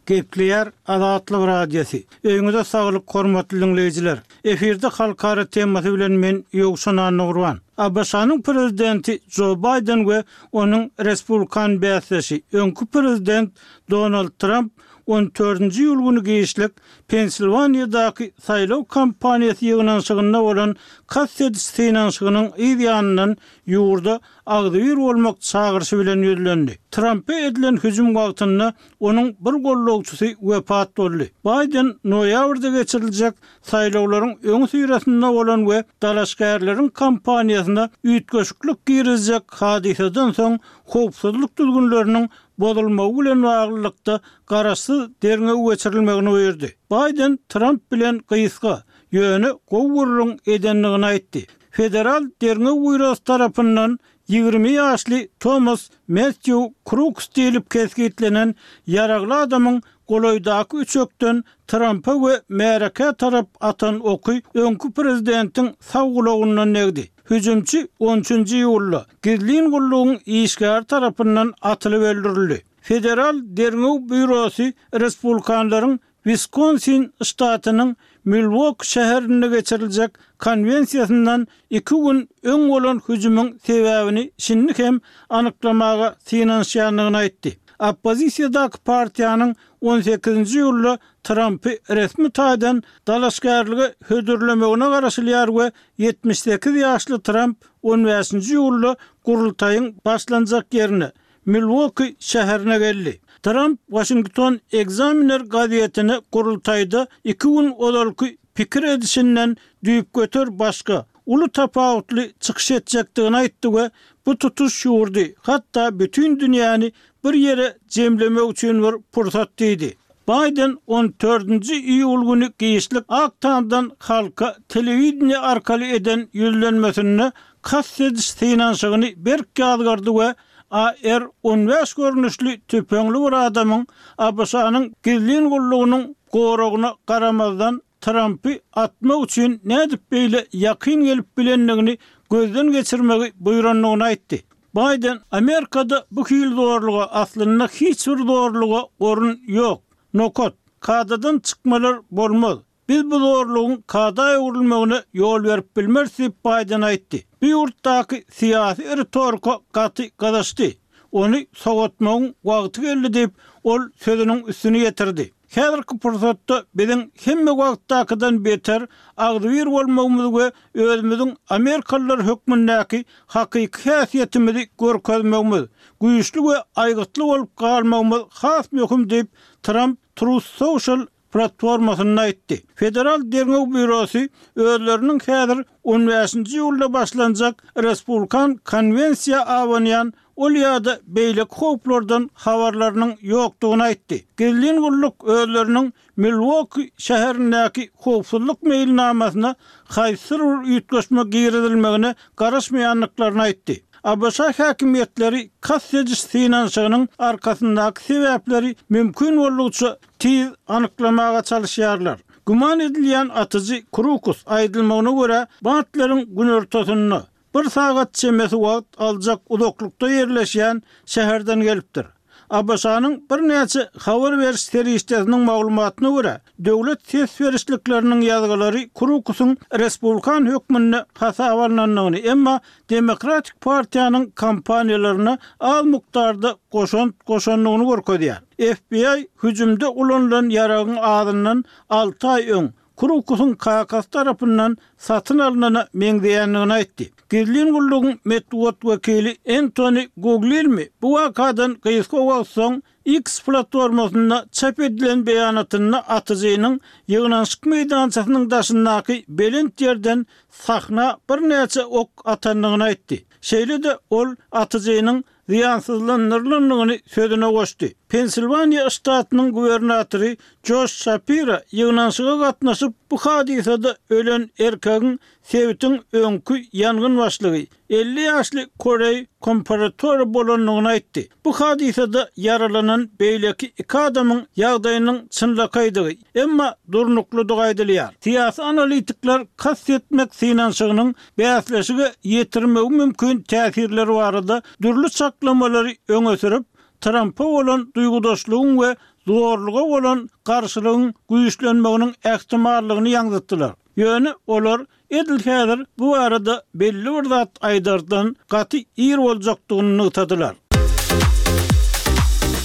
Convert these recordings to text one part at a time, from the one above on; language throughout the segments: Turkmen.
Gepleýär Azatlyk Radiosy. Öýüňize saglyk hormatly diňleýjiler. Efirde halkara temasy bilen men Ýowşan Annagurban. ABŞ-nyň prezidenti Jo Baýden we onuň respublikan bäsdeşi, öňki prezident Donald Tramp on dördünji iýul güni giçlik Pensilwaniýadaky saýlaw kampaniýasy ýygnanyşygynda bolan kast ediş synanyşygynyň yz ýanyndan ýurda agzybir bolmak çagyryşy bilen ýüzlendi. Trampa edilen hüjüm wagtynda onuň bir gollagçysy wepat boldy. Baýden noýabrda geçiriljek saýlawlaryň öňüsyrasynda bolan we dalaşgärleriň kampaniýasyna üýtgeşiklik girizjek hadysadan soň howpsuzlyk düzgünleriniň bozulmagy bilen baglylykda garaşsyz derňew geçirilmegini buýurdy. Baýden Tramp bilen gysga, ýöne gowy gürrüň edendigini aýtdy. Federal derňew býurosy tarapyndan 20 ýaşly Tomas Metýu Kruks diýlip kesgitlenen ýaragly adamyň golaýdaky üçekden Trampa we märekä tarap atan oky öňki prezidentiň sag gulagyndan degdi. Hüjümçi on üçünji iýulda gizlin gullugyň işgäri tarapyndan atylyp öldürildi. Federal derňew býurosy respublikanlaryň Wiskonsin ştatynyň Milwok şäherinde geçiriljek konwensiýasyndan iki gün öň bolan hüjümiň sebäbini şindi hem anyklamaga synanyşýandygyny aýtdy. Oppozisiýadaky partiýanyň on sekizinji iýulda Trampy resmi taýdan dalaşgärlige hödürlemegine garaşylýar we 78 ýaşly Tramp on bäşinji iýulda gurultaýyň başlanjak ýerine, Milwoki şäherine geldi. Tramp Waşington Examiner gazetine gurultaýda iki gün ozalky pikir edişinden düýpgöter başga, uly tapawutly çykyş etjekdigini aýtdy we bu tutuş ýurdy, hatda bütin dünýäni bir ýere jemlemek üçin bir pursat diýdi. Baýden on dördünji iýul güni giçlik Ak Tamdan halka telewideniýe arkaly eden ýüzlenmesinde kast ediş synanyşygyny berk ýazgardy we AR 15 görnüşli tüpeňli bir adamyň ABŞ-nyň gizlin gullugynyň goragyna garamazdan Trampy atmak üçin nädip beýle ýakyn gelip bilendigini gözden geçirmegi buýrandygyny aýtdy. Baýden Amerikada bu hili zorluga, aslynda hiç bir zorluga orun ýok. Nokat. Kadadan çykmalar bolmaz. Biz bu zorlugyň kada öwrülmegine ýol berip bilmeris diýip, Baýden aýtdy. Bu ýurtdaky syýasy ritorika gaty gyzyşdy. Ony sowatmagyň wagty geldi diýip, ol sözüniň üstüni ýetirdi. Häzirki pursatda biziň hemme wagtdakydan beter agzybir bolmagymyz we özümiziň amerikalylar hökmündäki hakyky häsiýetimizi görkezmegimiz, güýçli we aýgytly bolup galmagymyz has möhüm diýip, Tramp Truth Social platformasynda aýtdy. Federal derňew býurosy özleriniň häzir on bäşinji iýulda başlanjak Respublikan konwensiýa abanýan ol ýa-da beýleki howplardan habarlarynyň ýokdugyny aýtdy. Gizlin gulluk özleriniň Milwoki şäherindäki howpsuzlyk meýilnamasyna haýsydyr bir üýtgeşme girizilmegine garaşmaýandyklaryny aýtdy. ABŞ häkimiýetleri kast ediş synanyşygynyň arkasyndaky sebäpleri mümkin boldugyça tiz anyklamaga çalyşýarlar. Güman edilýän atyjy Krukus, aýdylmagyna görä, Batleriň günortasynda, bir sagat çemesi wagt aljak uzaklykda ýerleşýän şäherden gelipdir. ABŞ-nyň birnäçe habar beriş serişdesiniň maglumatyna görä, döwlet ses berişlikleriniň ýazgylary Krukusyň respublikan hökmünde hasaba alnandygyny, emma Demokratik partiýanyň kampaniýalaryna az mukdarda goşant goşandygyny görkezýär. FBI hüjümde ulanylan ýaragyň azyndan alty aý öň Krukusyň kakasy tarapyndan satyn alnana meňzeýändigini aýtdy. Gizlin gullugyň metbugat wekili Entoni Guglilmi bu wakadan gysga wagt soň X platformasynda çap edilen beýanatynda atyjynyň ýygnanyşyk meýdançasynyň daşyndaky belent ýerden sahna birnäçe ok atandygyny aýtdy. Şeýle-de ol atyjynyň zyýansyzlandyrylandygyny sözüne goşdy. Pensilwaniýa ştatynyň gubernatory Joş Şapira ýygnanyşyga gatnaşyp, bu hadysada ölen erkegiň sebitiň öňki ýangyn başlygy, 50 ýaşly Koreý Komparatore bolandygyny aýtdy. Bu hadysada ýaralanan beýleki iki adamyň ýagdaýynyň çynlakaýdygy, emma durnuklydygy aýdylýar. Syýasy analitikler kast etmek synanyşygynyň bäsleşige ýetirmegi mümkin täsirleri barada dürli çaklamalary öňe sürüp, Trampa bolan duýgudaşlygyň we zorluga bolan garşylygyň güýçlenmeginiň ähtimallygyny ýaňzytdylar. Ýöne olar edil häzir bu barada belli bir zat aýdardan gaty ir boljakdygyny nygtadylar.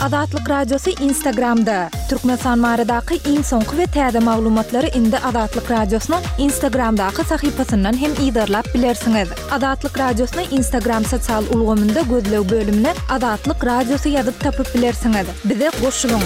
Azatlyk Radiosy Instagramda, Türkmenistan baradaky iň soňky we täze maglumatlary indi Azatlyk Radiosynyň Instagramdaky sahypasyndan hem yzarlap bilersiňiz. Azatlyk Radiosyny Instagram sosial ulgamynda gözleg bölümine Azatlyk Radiosy ýazyp tapyp bilersiňiz. Bize goşulyň!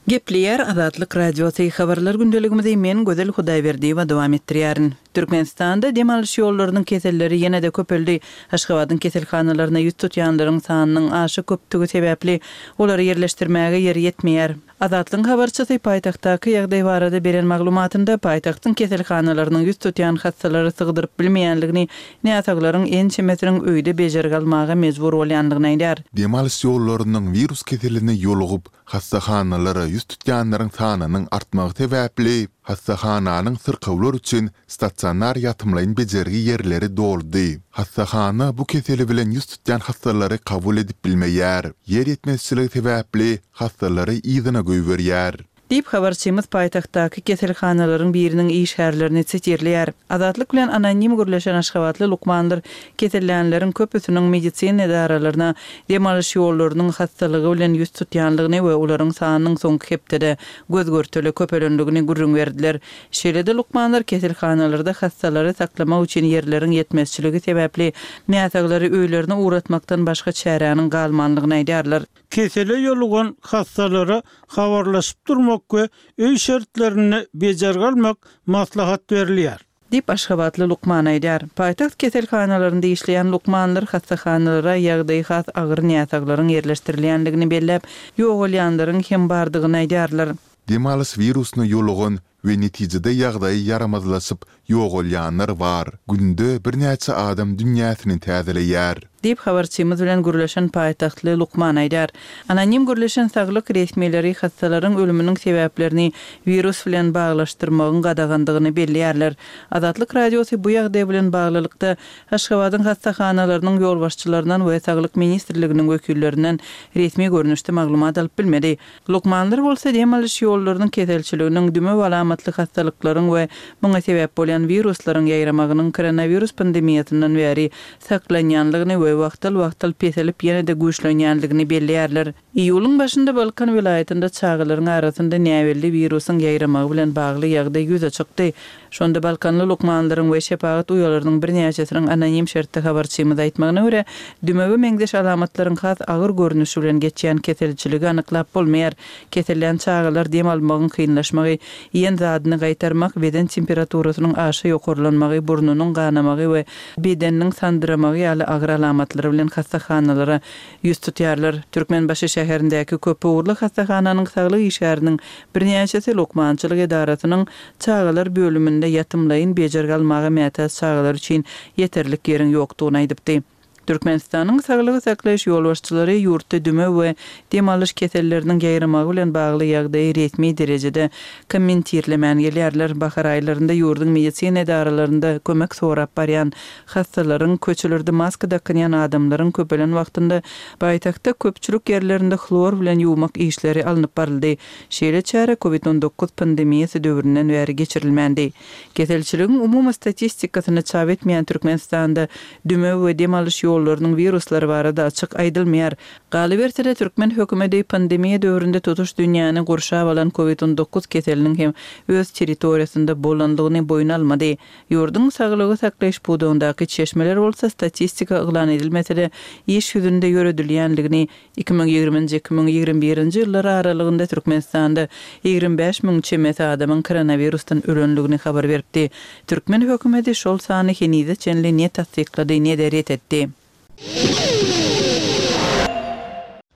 Gepleýär Azatlyk Radiosy, Habarlar gündeligimizi men Gözel Hudaýberdiýewa dowam etdirýärin. Türkmenistanda dem alyş ýollarynyň keselleri ýene-de köpeldi. Aşgabadyň keselhanalaryna ýüz tutýanlaryň sanynyň aşa köpdügi sebäpli, olary ýerleşdirmäge ýer ýetmeýär. Azatlygyň habarçysy paýtagtdaky ýagdaý barada beren maglumatynda paýtagtyň keselhanalarynyň ýüz tutýan hassalary sygdyryp bilmeýänligini, näsaglaryň ençemesiniň öýde bejergi almaga mejbur bolýandygyny aýdýar. Dem alyş ýollarynyň wirus keseline ýolugyp, hassahanalara ýüz tutýanlaryň sanynyň artmagy sebäpli, hassahananyň syrkawlar üçin stasionar ýatymlaýyn bejergi ýerleri doldy. Hassahana bu keseli bilen ýüz tutýan hassalary kabul edip bilmeýär. Ýer ýetmezçiligi sebäpli hassalary yzyna goýberýär. Diýip, habarçymyz paýtagtdaky keselhanalaryň biriniň işgärlerini sitirleýär. Azatlyk bilen anonim gürleşen aşgabatly lukmanlar kesellänleriň köpüsiniň medisina edaralaryna dem alyş ýollarynyň hassalygy bilen ýüz tutýanlygyny we olaryň sanynyň soňky hepdede göz-görtele köpelendigini gürrüň berdiler. Şeýle-de lukmanlar keselhanalarda hassalary saklamak üçin ýerleriň ýetmezçiligi sebäpli näsaglary öýlerine ugratmakdan başga çäräniň galmanlygyny aýdýarlar. Kesele ýolugan hassalara habarlaşyp durmak we öý şertlerinde bejergi almak maslahat berilýär. Diýip, aşgabatly lukman aýdýar. Paýtagt keselhanalarynda işleýän lukmanlar hassahanalara ýagdaýy has agyr näsaglaryň ýerleşdirilýändigini belläp, ýogalýanlaryň hem bardygyny aýdýarlar. Dem alyş wirusyna ýolugan we netijede ýagdaýy ýaramazlaşyp, ýogalýanlar bar. Günde birnäçe adam dünýäsini täzeleýär. Diýip, habarçymyz bilen gürleşen paýtagtly lukman aýdýar. Anonim gürleşen saglyk resmileri hassalaryň ölüminiň sebäplerini wirus bilen baglaşdyrmagyň gadagandygyny belleýärler. Azatlyk Radiosy bu ýagdaý bilen baglylykda, Aşgabadyň hassahanalarynyň ýolbaşçylaryndan we Saglyk ministrliginiň wekillerinden resmi görnüşde maglumat alyp bilmedi. Lukmanlar bolsa dem alyş ýollarynyň keselçiliginiň, dümew alamatly hassalyklaryň we muňa sebäp bolýan wiruslaryň ýaýramagynyň koronawirus pandemiýasyndan bäri saklanýanlygyny we wagtal-wagtal peselip ýene-de güýçlenýänligini belleýärler. Iýulyň başynda Balkan welaýatynda çagalaryň arasynda näbelli wirusyň ýaýramagy bilen bagly ýagdaý ýüze çykdy. Şonda balkanly lukmanlaryň we şepagat uýalarynyň birnäçesiniň anonim şertde habarçymyza aýtmagyna görä, dümewe meňzeş alamatlaryň has agyr görnüşi bilen geçýän keselçiligi anyklap bolmaýar. Kesellän çagalar dem almagyň kynlaşmagy, iýen zadyny gaýtarmak, beden temperaturasynyň aşa ýokarlanmagy, burnunyň ganamagy we bedeniniň sandyramagy ýaly agyr alamatlar bilen hassahanalara ýüz tutýarlar. Türkmenbaşy şäherindäki köpugurly hassahananyň saglyk işgäriniň birnäçesi lukmançylyk edarasynyň çagalar bölüminde ýatymlaýyn bejergi almaga mätäç çagalar üçin ýeterlik ýeriň ýokdugyny aýdypdy. Türkmenistanyň saglygy saklaýyş ýolbaşçylary ýurtda dümew we dem alyş keselleriniň ýaýramagy bilen bagly ýagdaýy resmi derejede kommentirlemän gelýärler. Bahar aýlarynda ýurduň medisina edaralarynda kömek sorap barýan hassalaryň, köçelerde maska dakynýan adamlaryň köpelen wagtynda paýtagtda köpçülik ýerlerinde hlor bilen ýuwmak işleri alnyp baryldy. Şeýle çäre Covid 19 pandemiýasy döwründen bäri geçirilmändi. Keselçiligiň umumy statistikasyny çap etmeýän Türkmenistanda dümew we dem alyş ýollarynyň wiruslary barada açyk aýdylmaýar. Galyberse-de, türkmen hökümedi pandemiýa döwründe tutuş dünýäni gurşap alan Covid 19 keseliniň hem öz territoriýasynda bolandygyny boýun almady. Ýurduň saglygy saklaýyş pudagyndaky çeşmeler bolsa statistika yglan edilmese-de, iş ýüzünde ýöredilýändigini 2020-nji, 2021-nji ýyllar aralygynda Türkmenistanda 25 müň çemesi adamyň koronawirusdan ölendigini habar beripdi. Türkmen hökümeti şol sany henize çenli ne tassyklady, ne-de ret etdi.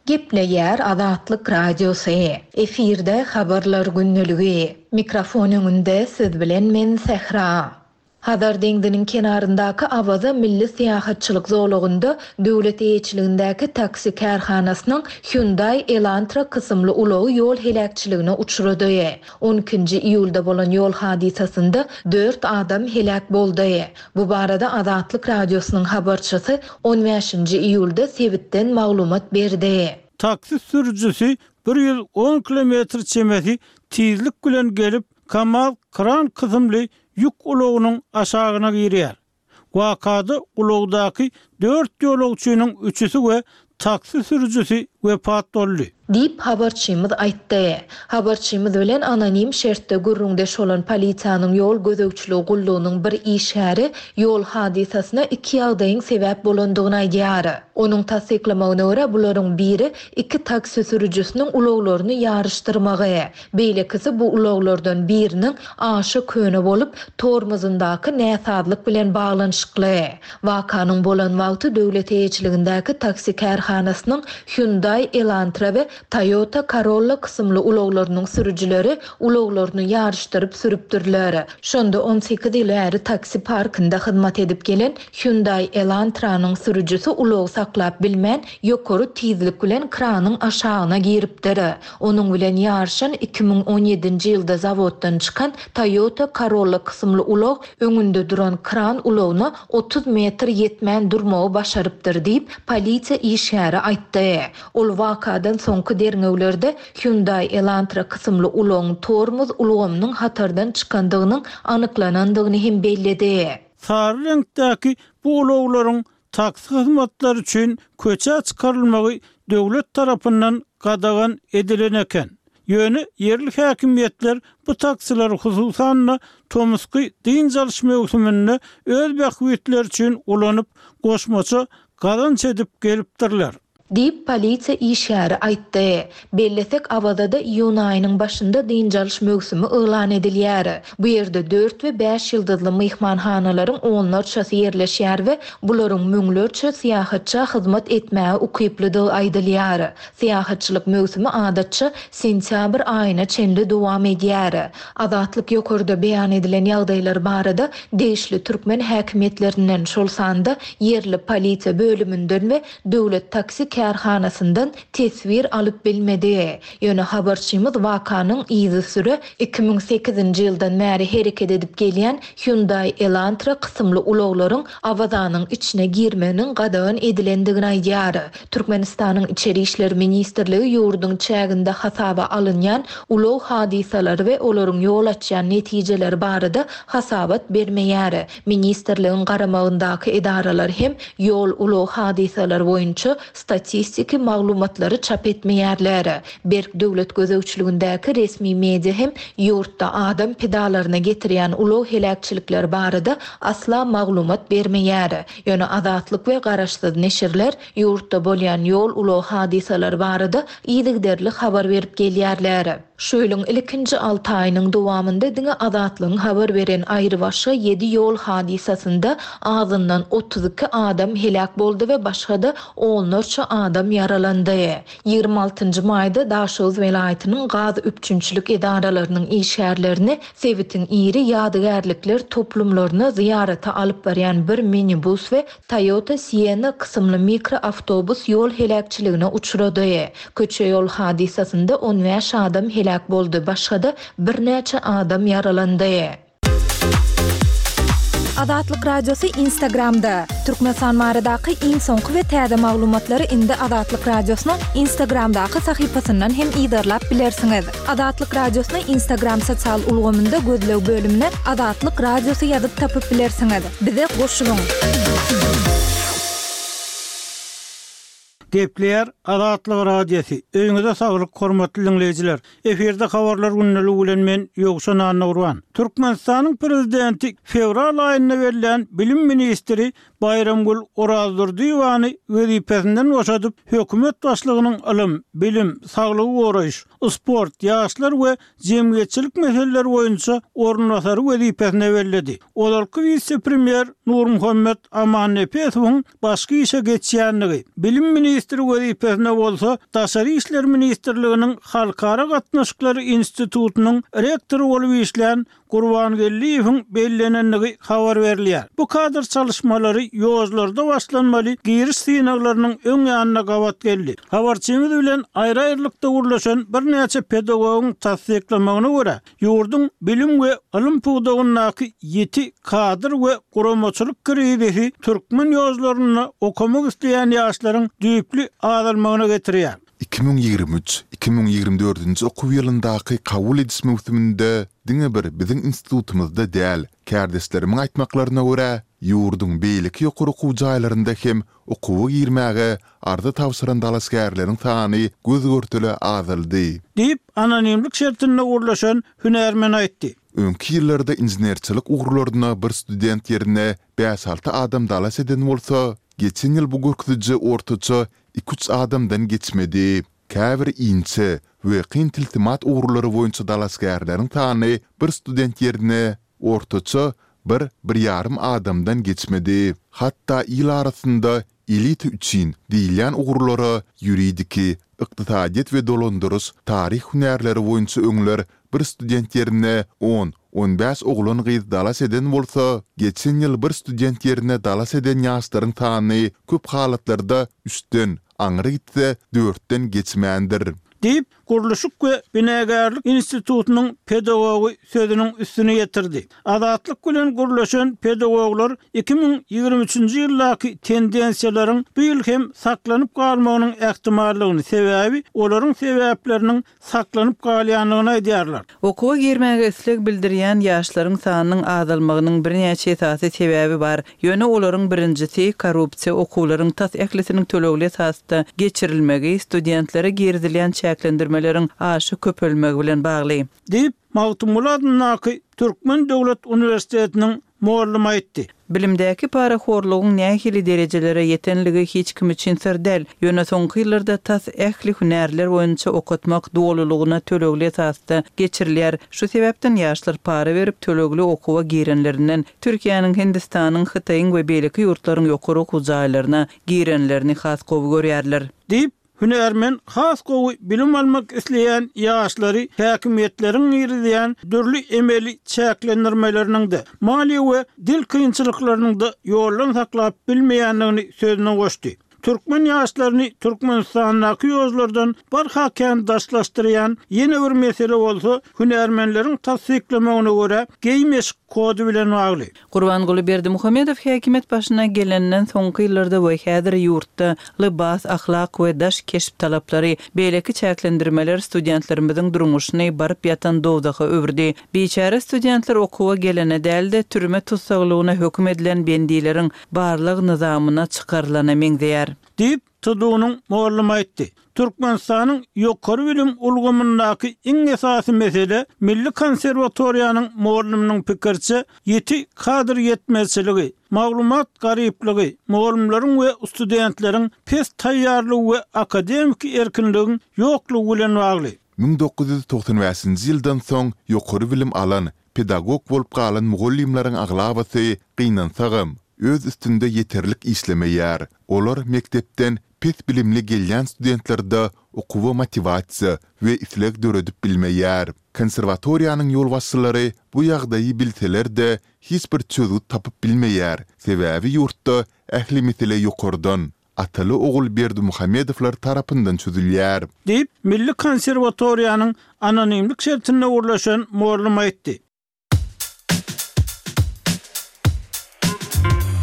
Gepleýär Azatlyk Radiosy. Efirde Habarlar gündeligi. Mikrofon öňünde siz bilen men Sähra. Hazar deňziniň kenaryndaky Awaza milli syýahatçylyk zolagynda döwlet eýeçiligindäki taksi kärhanasynyň Hyundai Elantra kysymly ulagy ýol heläkçiligine uçrady. On ikinji iýulda bolan ýol hadysasynda dört adam heläk boldy. Bu barada Azatlyk Radiosynyň habarçysy on bäşinji iýulda sebitden maglumat berdi. Taksi sürüjisi 110 kilometr çemesi tizlik bilen gelip, Kamaz kran kysymly ýük ulagynyň aşagyna girýär. Wakada ulagdaky dört ýolagçynyň üçüsi we taksi sürüjisi wepat boldy. Diýip, habarçymyz aýtdy. Habarçymyz bilen anonim şertde gürrüňdeş bolan polisiýanyň ýol gözegçiligi gullugynyň bir işgäri ýol hadysasyna iki ýagdaýyň sebäp bolandygyny aýdýar. Onuň tassyklamagyna görä, bularyň biri iki taksi sürüjisiniň ulaglaryny ýaryşdyrmagy. Beýlekisi bu ulaglardan biriniň aşa köne bolup, tormozyndaky näsazlyk bilen baglanyşykly. Wakanyň bolan wagty döwlet eýeçiligindäki taksi kärhanasynyň Hyundai Elantra we Toyota Corolla kysymly ulaglarynyň sürüjileri ulaglaryny ýaryşdyryp sürüpdirler. Şonda 18 ýyl bäri taksi parkynda hyzmat edip gelen Hyundai Elantra-nyň sürüjisi ulagy saklap bilmän, ýokary tizlik bilen kranyň aşagyna giripdir. Onuň bilen ýaryşan 2017-nji ýylda zawoddan çykan Toyota Corolla kysymly ulag öňünde duran kran ulagyna 30 metr ýetmän durmagy başarypdyr diýip, polisiýa işgäri aýtdy. Ol wakadan soňky derňewlerde Hyundai Elantra kysymly ulagyň tormoz ulgamynyň hatardan çykandygynyň anyklanandygyny hem belledi. Sary reňkdäki bu ulaglaryň taksi hyzmatlary üçin köçä çykarylmagy döwlet tarapyndan gadagan edilen eken. Ýöne ýerli häkimiýetler bu taksileri hususan-da tomusky dynç alyş möwsüminde öz bähbitleri üçin ulanyp, goşmaça gazanç edip gelipdirler. Diýip, polisiýa işgäri aýtdy. Bellesek, Awazada iýun aýynyň başynda dynç alyş möwsümi yglan edilýär. Bu ýerde dört we bäş ýyldyzly myhmanhanalaryň onlarçasy ýerleşýär we bularyň müňlerçe syýahatça hyzmat etmäge ukyplydygy aýdylýar. Syýahatçylyk möwsümi adatça sentýabr aýyna çenli dowam edýär. Azatlyk ýokarda beýan edilen ýagdaýlar barada degişli türkmen häkimiýetlerinden, şol sanda ýerli polisiýa bölüminden we döwlet taksi kärhanasyndan teswir alyp bilmedi. Ýöne habarçymyz wakanyň yzysüre 2008-nji ýyldan bäri hereket edip gelýän Hyundai Elantra kysymly ulaglaryň Awazanyň içine girmeginiň gadagan edilendigini aýdýar. Türkmenistanyň Içeri işler ministrligi ýurduň çäginde hasaba alynýan ulag hadysalary we olaryň ýol açýan netijeleri barada hasabat bermeýär. Ministrligiň garamagyndaky edaralar hem ýol-ulag hadysalary boýunça statistiki maglumatlary çap etmeýärler. Berk döwlet gözegçiligindäki resmi media hem ýurtda adam pidalaryna getirýän ulag heläkçilikleri barada asla maglumat bermeýär. Ýöne Azatlyk we garaşsyz neşirler ýurtda bolýan ýol-ulag hadysalary barada yzygiderli habar berip gelýärler. Şu ýylyň ilkinji alty aýynyň dowamynda diňe Azatlygyň habar beren aýrybaşga ýedi ýol hadysasynda azyndan 32 adam heläk boldy we başga-da onlarça adam ýaralandy. 26-njy maýda Daşoguz welaýatynyň gaz üpjünçilik edaralarynyň işgärlerini sebitiň iri ýadygärlikler toplumlaryna zyýarata alyp barýan bir minibus we Toyota Sienna kysymly mikroawtobus ýol heläkçiligine uçrady. Köçe-ýol hadysasynda 15 adam heläk boldy, başga-da birnäçe adam ýaralandy. Azatlyk Radiosy Instagramda, Türkmenistan baradaky iň soňky we täze maglumatlary indi Azatlyk Radiosynyň Instagramdaky sahypasyndan hem yzarlap bilersiňiz. Azatlyk Radiosyny Instagram sosial ulgamynda gözleg bölümine Azatlyk Radiosy ýazyp tapyp bilersiňiz. Bize goşulyň! Gepleýär Azatlyk Radiosy. Öýüňize saglyk, hormatly diňleýjiler! Efirde habarlar gündeligi bilen men, Ýowşan Annagurban. Türkmenistanyň Prezidenti fewral aýynda bellän bilim ministri Baýramgül Orazdurdyýewany wezipesinden boşadyp, hökümet başlygynyň ylym, bilim, saglygy goraýyş, sport, ýaşlar we jemgyýetçilik meseleleri boýunça orunbasary wezipesine belledi. Ozalky wise-premýer Nurmuhammet Amannepesowyň başga işe geçýändigi, bilim ministri. ministri wezipesine bolsa Daşary işler ministrliginiň Halkara gatnaşyklary institutynyň rektory bolup işlän Gurbangeldiýewiň bellenendigi habar berilýär. Bu kadr çalyşmalary ýozlarda başlanmaly giriş synaglarynyň öň ýanyna gabat geldi. Habarçymyz bilen aýry-aýrylykda gürleşen birnäçe pedagogyň tassyklamagyna görä, ýurduň bilim we ylym pudagyndaky ýiti kadr we guramaçylyk krizisi türkmen ýozlarynda okamak isleýän ýaşlaryň düýpli azalmagyna getirýär. 2023, 2024-nji okuw ýylyndaky kabul ediş möwsüminde diňe bir biziň institutymyzda däl, kärdeşlerimiň aýtmaklaryna görä, ýurduň beýleki ýokary okuw jaýlarynda hem okuwa girmäge arza tabşyran dalaşgärleriň sany göz-görtele azaldy. Diýip, anonimlik şertinde gürleşen hünärmen aýtdy. Öňki ýyllarda inženerçilik ugurlaryna bir student ýerine bäş-alty adam dalaş eden bolsa, geçen ýyl bu görkeziji ortaça iki-üç adamdan geçmedi. Käbir inçe we kyn tilsimat ugurlary boýunça dalaşgärleriň sany bir student ýerine, ortaça, bir, bir ýarym adamdan geçmedi. Hatda il arasynda elita üçin diýilýän ugurlara ýuridiki, ykdysadyýet we dolandyryş, taryh hünärleri boýunça öňler bir student ýerine on, on bäş oglan-gyz dalaş eden bolsa, geçen ýyl bir student ýerine dalaş eden ýaşlaryň sany köp halatlarda üçden, aňry gitse dörtden geçmändir. Diýip, Gurluşyk we binagärlik institutynyň pedagogy sözüniň üstüni ýetirdi. Azatlyk bilen gürleşen pedagoglar 2023-nji ýyldaky tendensiýalaryň bu ýyl hem saklanyp galmagynyň ähtimallygyny, sebäbi olaryň sebäpleriniň saklanyp galýandygyny aýdýarlar. Okuwa girmäge isleg bildirýän ýaşlaryň sanynyň azalmagynyň birnäçe esasy sebäbi bar. Ýöne olaryň birinjisi, korrupsiýa, okuwlaryň tas ählisiniň tölegli esasda geçirilmegi, studentlere girizilýän çäklendirmeleriň aşa köpelmegi bilen bagly. Diýip, Magtymguly adyndaky Türkmen döwlet uniwersitetiniň Mollum aýtdy. Bilimdäki parahorlugyň nähili derejelere ýetenligi hiç kim üçin syr däl. Ýöne soňky ýyllarda tas ähli hünärler boýunça okatmak dolulygyna tölegli esasda geçirilýär. Şu sebäpden ýaşlar para berip tölegli okuwa girenlerinden Türkiýäniň, Hindistanyň, Hytaýyň we beýleki ýurtlaryň ýokary okuw jaýlaryna girenlerini has gowy görýärler. Diýip, Hünärmen has gowy bilim almak isleýän ýaşlary häkimiýetleriň girizýän dürli emeli çäklendirmeleriniň-de, maliýe we dil kynçylyklarynyň-da ýoldan saklap bilmeýändigini sözüne goşdy. Türkmen ýaşlaryny Türkmenistandaky ýozlardan barha kän daşlaşdyrýan ýene bir mesele bolsa, hünärmenleriň tassyklamagyna görä, geýim-eşik kody bilen bagly. Gurbanguly Berdimuhamedow häkimiýet başyna gelenden soňky ýyllarda we häzir ýurtda lybas, ahlak we daş keşp talaplary, beýleki çäklendirmeler studentlerimiziň durmuşyny baryp ýatan dowzaha öwürdi. Biçäre studentler okuwa gelene däl-de, türme tussaglygyna höküm edilen bendileriň barlag nyzamyna çykarylana meňzeýär. Diýip, TDU-nyň mugallym aýtdy. Türkmenistanyň ýokary bilim ulgamyndaky iň esasy mesele, Milli konserwatoriýanyň mugallymynyň pikiriçe, ýiti kadr ýetmezçiligi, maglumat garyplygy, mugallymlaryň we studentleriň pes taýýarlygy we akademiki erkinligiň ýoklugy bilen bagly. 1995-nji ýyldan soň ýokary bilim alan, pedagog bolup galan mugallymlaryň aglabasy, gynansagam, öz üstünde ýeterlik işlemeýär. Olar mekdepden pes bilimli gelýän studentlerde okuwa motiwasiýa we isleg döredip bilmeýär. Konserwatoriýanyň ýolbaşçylary bu ýagdaýy bilseler-de, hiç bir çözgüt tapyp bilmeýär, sebäbi ýurtda ähli mesele ýokardan, ataly-ogul Berdimuhamedowlar tarapyndan çözülýär. Diýip, Milli konserwatoriýanyň anonimlik şertinde gürleşen mugallym aýtdy.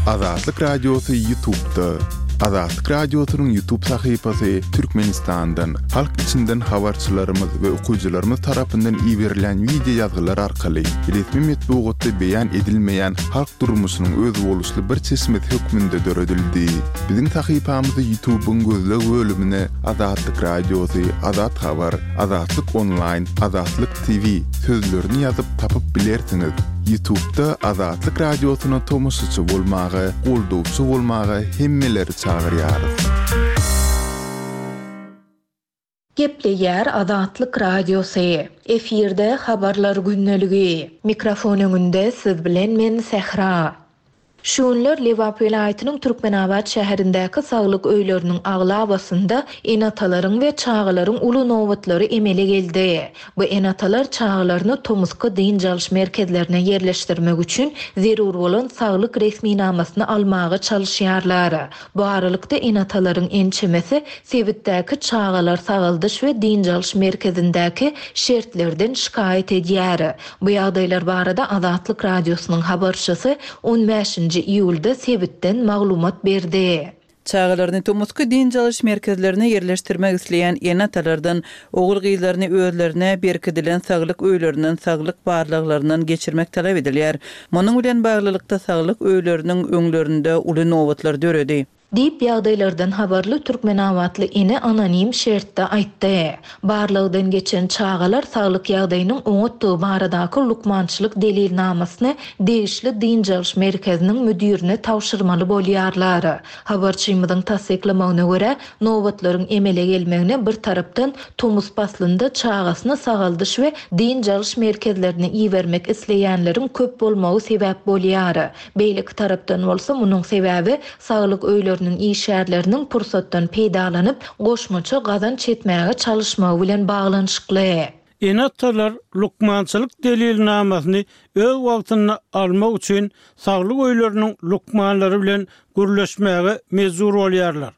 Azatlyk Radiosy Ýutubda. Azatlyk Radiosynyň Ýutub sahypasy Türkmenistandan, halk içinden habarçylarymyz we okyjylarymyz tarapyndan iberilýän wideo ýazgylar arkaly resmi metbugatda beýan edilmeýän halk durmuşynyň özboluşly bir çeşmesi hökmünde döredildi. Biziň sahypamyzy Ýutubyň gözleg bölümine Azatlyk Radiosy, Azat Habar, Azatlyk Onlaýn, Azatlyk TV sözlerini ýazyp tapyp bilersiňiz. Ýutubda Azatlyk Radiosyna tomaşaçy bolmaga, goldawçy bolmaga hemmeleri çagyrýarys. Gepleýär Azatlyk Radiosy. Efirde Habarlar gündeligi. Mikrofon öňünde siz bilen men Sähra. Şu günler Lebap welaýatynyň Türkmenabat şäherindäki saglyk öýleriniň aglabasynda ene-atalaryň we çagalaryň uly nobatlary emele geldi. Bu ene-atalar çagalaryny tomusky dynç alyş merkezlerine ýerleşdirmek üçin zerur bolan saglyk resminamasyny almaga çalyşýarlar. Bu aralykda, ene-atalaryň ençemesi sebitdäki çagalar sagaldyş we dynç alyş merkezindäki şertlerden şikaýat edýär. Bu ýagdaýlar barada Azatlyk Radiosynyň habarçysy on bäşinji iýulda sebitden maglumat berdi. Çagalaryny tomusky dynç alyş merkezlerine ýerleşdirmek isleýän ene-atalardan ogul-gyzlaryny özlerine berkidilen saglyk öýlerinden saglyk barlaglaryndan geçirmek talap edilýär. Munuň bilen baglylykda, saglyk öýleriniň öňlerinde uly nobatlar döredi. Diýip, ýagdaýlardan habarly türkmenabatly ene anonim şertde aýtdy. Barlagdan geçen çagalar saglyk ýagdaýynyň oňatdygy baradaky lukmançylyk delilnamasyny degişli dynç alyş merkeziniň müdirine tabşyrmaly bolýarlar. Habarçymyzyň tassyklamagyna görä, nobatlaryň emele gelmegine bir tarapdan tomus paslynda çagasyny sagaldyş we dynç alyş merkezlerine ibermek isleýänleriň köp bolmagy sebäp bolýar. Beýleki tarapdan bolsa munuň sebäbi saglyk öýleriniň işgärleriniň pursatdan peýdalanyp, goşmaça gazanç etmäge çalyşmagy bilen baglanyşykly. Ene-atalar lukmançylyk delilnamasyny öz wagtynda almak üçin saglyk öýleriniň lukmanlary bilen gürleşmäge mejbur bolýarlar.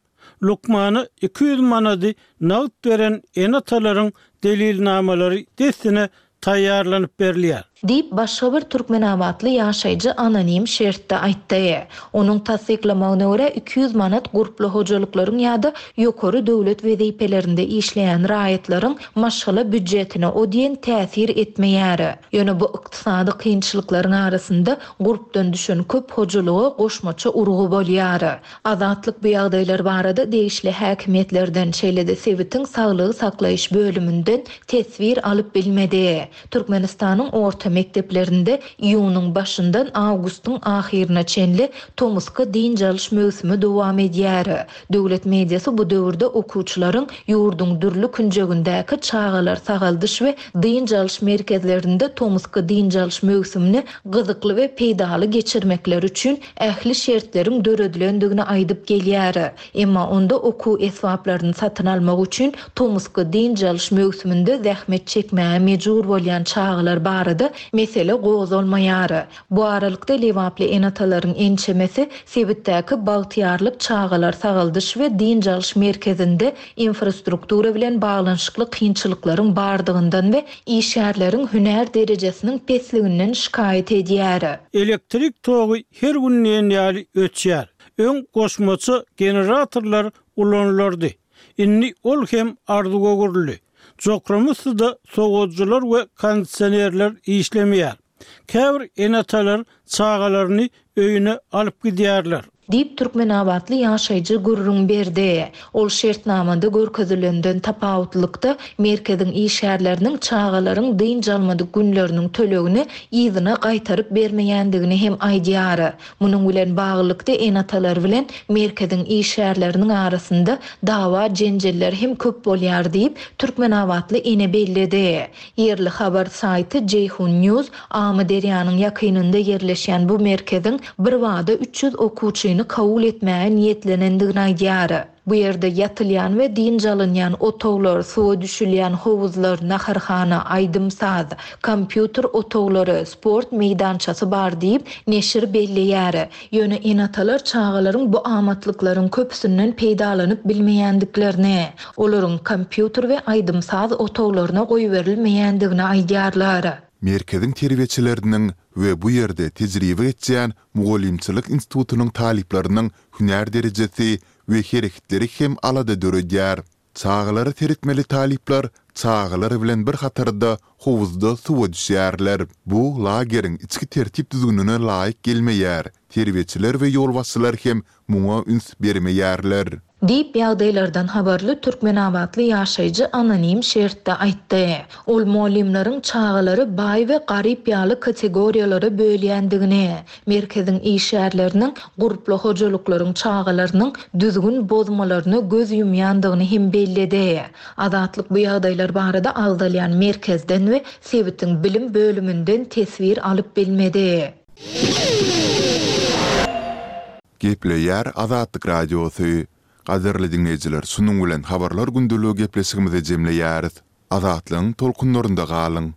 Lukmana 200 manady nagt beren ene-atalaryň delilnamalary dessine taýýarlanyp berilýär. Diýip, başga bir türkmenabatly ýaşaýjy anonim şertde aýtdy. Onuň tassyklamagyna görä, 200 manat gurply hojalyklaryň ýa-da ýokary döwlet wezipelerinde işleýän raýatlaryň maşgala býudjetine o diýen täsir etmeýär. Ýöne bu ykdysady kynçylyklaryň arasynda gurpdan düşen köp hojalyga goşmaça urgy bolýar. Azatlyk bu ýagdaýlar barada degişli häkimiýetlerden, şeýle-de sebitiň saglygy saklaýyş bölüminden teswir alyp bilmedi. Türkmenistanyň orta mekdeplerinde iýunyň başyndan awgustyň ahyryna çenli tomusky dynç alyş möwsümi dowam edýär. Döwlet mediasy bu döwürde okuwçylaryň ýurduň dürli künjegindäki çagalar sagaldyş we dynç alyş merkezlerinde tomusky dynç alyş möwsümini gyzykly we peýdaly geçirmekleri üçin ähli şertleriň döredilendigini aýdyp gelýär. Emma onda okuw esbaplaryny satyn almak üçin tomusky dynç alyş möwsüminde zähmet çekmäge mejbur bolýan çagalar barada mesele gozgalmaýar. Bu aralykda, lebaply ene-atalaryň ençemesi sebitdäki Bagtyýarlyk çagalar sagaldyş we dynç alyş merkezinde infrastruktura bilen baglanyşykly kynçylyklaryň bardygyndan we işgärleriň hünär derejesiniň pesliginden şikaýat edýär. Elektrik togy her gün diýen ýaly öçýär. Öň goşmaça generatorlar ulanylardy. Indi ol hem arzuwa öwrüldi. Jokramyssyda sowadyjylar we kondisionerler işlemeýär. Käbir ene-atalar çagalaryny öýüne alyp gidýärler. Diýip, türkmenabatly ýaşaýjy gürrüň berdi. Ol şertnamada görkezilenden tapawutlykda, merkeziň işgärleriniň çagalaryň dynç almadyk günleriniň tölegini yzyna gaýtaryp bermeýändigini hem aýdýar. Munuň bilen baglylykda, ene-atalar bilen merkeziň işgärleriniň arasynda dawa-jenjeller hem köp bolýar diýip, türkmenabatly ene belledi. Ýerli habar saýty Jeyhun News Amyderýanyň ýakynynda ýerleşýän bu merkeziň birbada 300 okuwçyny kabul etmäge niýetlenendigini aýdýar. Bu ýerde ýatylýan we dynç alynýan otaglar, suwa düşülýän howuzlar, naharhana, aýdym-saz, kompýuter otaglary, sport meýdançasy bar diýip, neşir belleýär. Ýöne ene-atalar çagalaryň bu amatlyklaryň köpüsinden peýdalanyp bilmeýändiklerini, olaryň kompýuter we aýdym-saz otaglaryna goýberilmeýändigini aýdýarlar. Merkeziň terbiýeçileriniň we bu ýerde tejribe geçýän mugallymçylyk institutynyň talyplarynyň hünär derejesi we hereketleri hem alada döredýär. Çagalara seretmeli talyplar çagalar bilen bir hatarda howuzda suwa düşýärler. Bu lageriň içki tertip-düzgünine laýyk gelmeýär, terbiýeçiler we ýolbaşçylar hem muňa üns bermeýärler. Diýip, ýagdaýlardan habarly türkmenabatly ýaşaýjy anonim şertde aýtdy. Ol mugallymlaryň çagalary baý we garyp ýaly kategoriýalara bölýändigini, Merkeziň işgärleriniň gurply hojalyklaryň çagalarynyň düzgün bozmalaryna göz ýumýandygyny hem belledi. Azatlyk bu ýagdaýlar barada agzalýan merkezden we sebitiň bilim bölüminden teswir alyp bilmedi. Gepleýär Azatlyk Radiosy. Gadyrly diňleýjiler, şunuň bilen Habarlar gündeligi gepleşigimizi jemleýäris. Azatlygyň tolkunlarynda galyň!